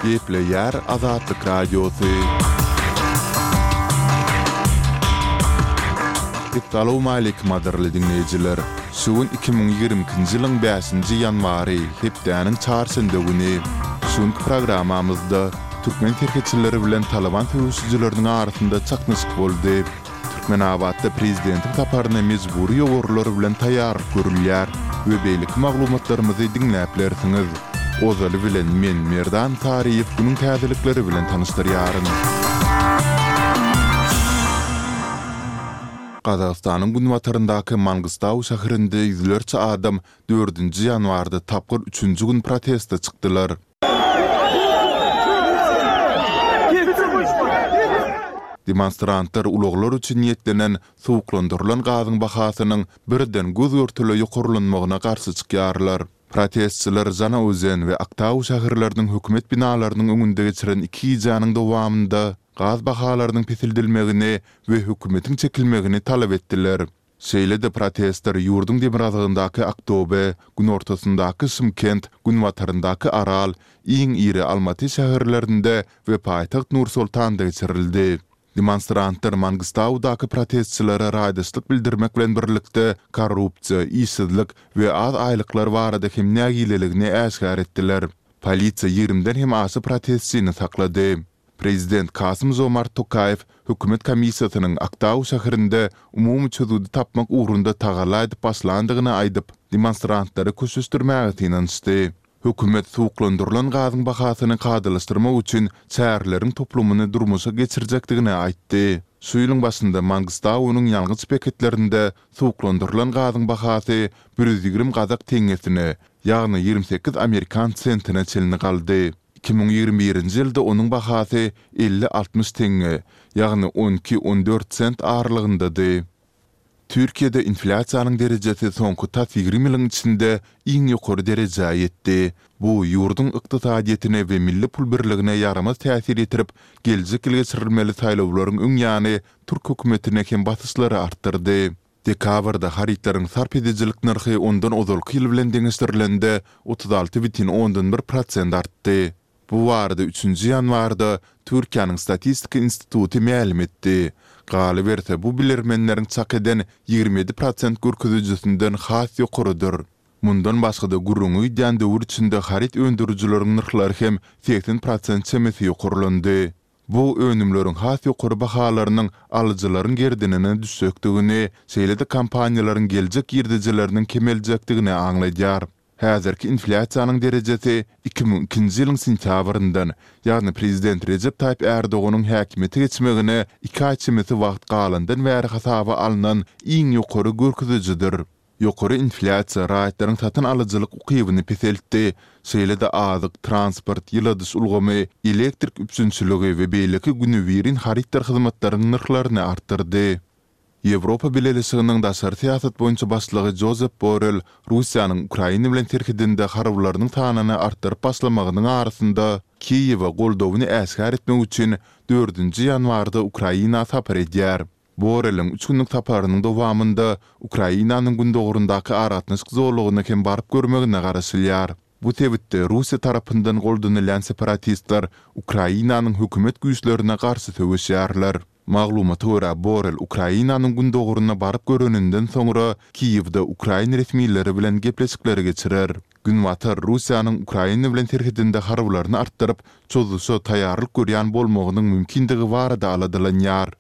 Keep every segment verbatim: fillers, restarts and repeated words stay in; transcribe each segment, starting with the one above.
Gepleýär Azatlyk Radiosy. Essalawmaleýkim gadyrly diňleýjiler! Şu gün iki müň ýigrimi ikinji ýylyň bäşinji ýanwary, hepdäniň çarşenbe güni. Şu günki programmamyzda türkmen serhetçileri bilen Talyban söweşijileriniň arasynda çaknyşyk boldy. Türkmenabatda prezidentiň saparyna mejbury ýowarlar bilen taýýarlyk görülýär we beýleki maglumatlarymyzy diňläp bilersiňiz. Ozaly bilen men Merdan Saryýew günüň täzelikleri bilen tanyşdyrýaryn. Gazagystanyň günbataryndaky Mangystau şäherinde ýüzlerçe adam dördünji ýanwarda tapgyr üçünji gün proteste çykdylar. Demonstrantlar ulaglar üçin niýetlenen suwuklandyrylan gazyň bahasynyň birden göz-görtele ýokarlanmagyna garşy çykýarlar. Protestçiler Žanaozen we Aktau şäherleriniň hökümet binalarynyň öňünde geçiren iki gijäniň dowamynda gaz bahalarynyň peseldilmegini we hökümetiň çekilmegini talap etdiler. Şeýle-de protestler ýurduň demirgazygyndaky Aktobe, günortasyndaky Şymkent, günbataryndaky Aral, iň iri Almaty şäherlerinde we paýtagt Nur-Sultanda geçirildi. Demonstrantlar Mangystaudaky protestçilere raýdaşlyk bildirmek bilen birlikde korrupsiýa, işsizlik we az aýlyklar barada hem nägileligini äşgär etdiler. Polisiýa ýigrimiden hem aşa protestçini saklady. Prezident Kasym-Žomart Tokaýew hökümet komissiýasynyň Aktau şäherinde umumy çözgüdi tapmak ugrunda tagalla edip başlandygyny aýdyp, demonstrantlary köşeşdirmäge synanyşdy. Hökümet suwuklandyrylan gazyň bahasyny kadalaşdyrmak üçin çäreleriň toplumyny durmuşa geçirjekdigini aýtdy. Şu ýylyň başynda Mangystaunyň ýangyç beketlerinde suwuklandyrylan gazyň bahasy bir ýüz ýigrimi gazak teňňesine, ýagny ýigrimi sekiz amerikan sentine çenli galdy. Iki müň ýigrimi birinji ýylda onuň bahasy elli-altmyş teňňe, ýagny on iki-on dört sent aralygyndady. Türkiýede inflýasiýanyň derejesi soňky tas ýigrimi ýylyň içinde iň ýokary derejä ýetdi. Bu ýurduň ykdysadyýetine we milli pul birligine ýaramaz täsir ýetirip, geljek ýyl geçirilmeli saýlawlaryň öň ýany türk hökümetine hem basyşlary artdyrdy. Dekabrda harytlaryň sarp edijilik nyrhy ondan ozalky ýyl bilen deňeşdirilende otuz alty bütin ondan bir prosent artdy. Bu barada üçünji ýanwarda Türkiýäniň Statistika instituty mälim etdi. Galyberse, bu bilermenleriň çak eden ýigrimi ýedi prosent görkezijisinden has ýokarydyr. Mundan başga-da gürrüňi gidýän döwür içinde haryt öndürijileriň nyrhlary hem segsen prosent çemesi ýokarlandy. Bu önümleriň has ýokary bahalarynyň alyjylaryň gerdenine düşjekdigini, şeýle-de kompaniýalaryň geljek girdejileriniň kemeljekdigini aňladýar. Häzirki inflýasiýanyň derejesi iki müň ikinji ýylyň sentýabryndan, ýagny prezident Rejep Taýyp Ärdoganyň häkimiýete geçmegine iki aý çemesi wagt galandan bäri hasaba alnan iň ýokary görkezijidir. Ýokary inflýasiýa raýatlaryň satyn alyjylyk ukybyny peseltdi, şeýle-de azyk, transport, ýyladyş ulgamy, elektrik üpjünçiligi we beýleki günübirin harytdyr hyzmatlaryň nyrhlaryny artdyrdy. Ýewropa Bileleşiginiň daşary syýasat boýunça başlygy Jozep Borrel Russiýanyň Ukraina bilen serhedinde harbylarynyň sanyny artdyryp başlamagynyň arasynda, Kiýewe goldawyny äşgär etmek üçin dördünji ýanwarda Ukraina sapar edýär. Borreliň üç günlük saparynyň dowamynda Ukrainanyň gündogaryndaky aragatnaşyk zolagyna hem baryp görmegine garaşylýar. Bu sebitde Russiýa tarapyndan goldanylýan separatistler Ukrainanyň hökümet güýçlerine garşy söweşýärler. Maglumata görä, Borrel Ukrainanyň gündogaryna baryp göreninden soňra Kiýewde ukrain resmileri bilen gepleşikleri geçirer. Günbatar Russiýanyň Ukraina bilen serhedinde harbylaryny artdyryp, çozuşa taýýarlyk görýän bolmagynyň mümkindigi barada aladalanýar.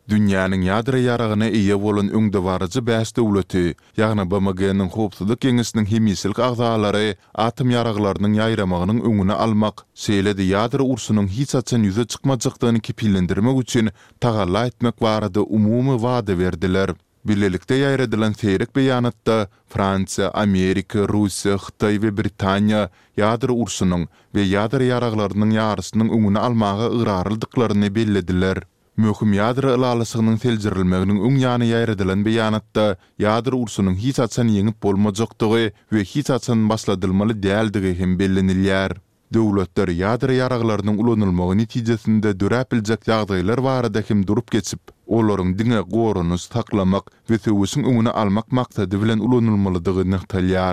Dünýäniň ýadro ýaragyna eýe bolan öňdebaryjy bäş döwleti, ýagny BMG-niň Howpsuzlyk Geňeşiniň hemişelik agzalary atom ýaraglarynyň ýaýramagynyň öňüni almak, şeýle-de ýadro urşunyň hiç haçan ýüze çykmajakdygyny kepillendirmek üçin tagalla etmek barada umumy wada berdiler. Bilelikde ýaýradylan seýrek beýanatda Fransiýa, Amerika, Russiýa, Hytaý we Britaniýa ýadro urşunyň we ýadro ýaraglarynyň ýaryşynyň öňüni almaga ygrarlydyklaryny bellediler. Möhüm ýadro ylalaşygynyň seljerilmeginiň öň ýany ýaýradylan beýanatda ýadro urşunyň hiç haçan ýeňip bolmajakdygy we hiç haçan başladylmaly däldigi hem bellenilýär. Döwletler ýadro ýaraglarynyň ulanylmagy netijesinde döräp biljek ýagdaýlar barada hem durup geçip, olaryň diňe goranyş saklamak we söweşiň öňüni almak maksady bilen ulanylmalydygy nygtalýar.